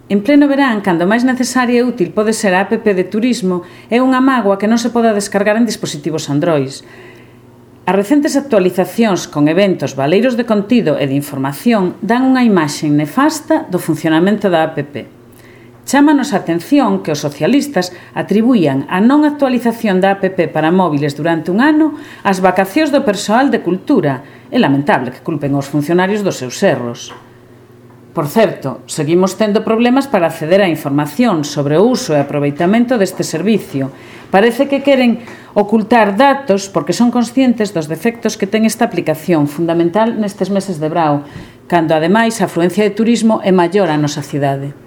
En pleno verán, cando máis necesaria e útil pode ser a app de turismo, é unha mágoa que non se poda descargar en dispositivos Android. As recentes actualizacións con eventos valeiros de contido e de información dan unha imaxe nefasta do funcionamento da app. Chámanos a atención que os socialistas atribuían a non actualización da app para móviles durante un ano ás vacacións do persoal de cultura. É lamentable que culpen os funcionarios dos seus erros. Por certo, seguimos tendo problemas para acceder á información sobre o uso e aproveitamento deste servicio. Parece que queren ocultar datos porque son conscientes dos defectos que ten esta aplicación, fundamental nestes meses de brao, cando ademais a afluencia de turismo é maior á nosa cidade.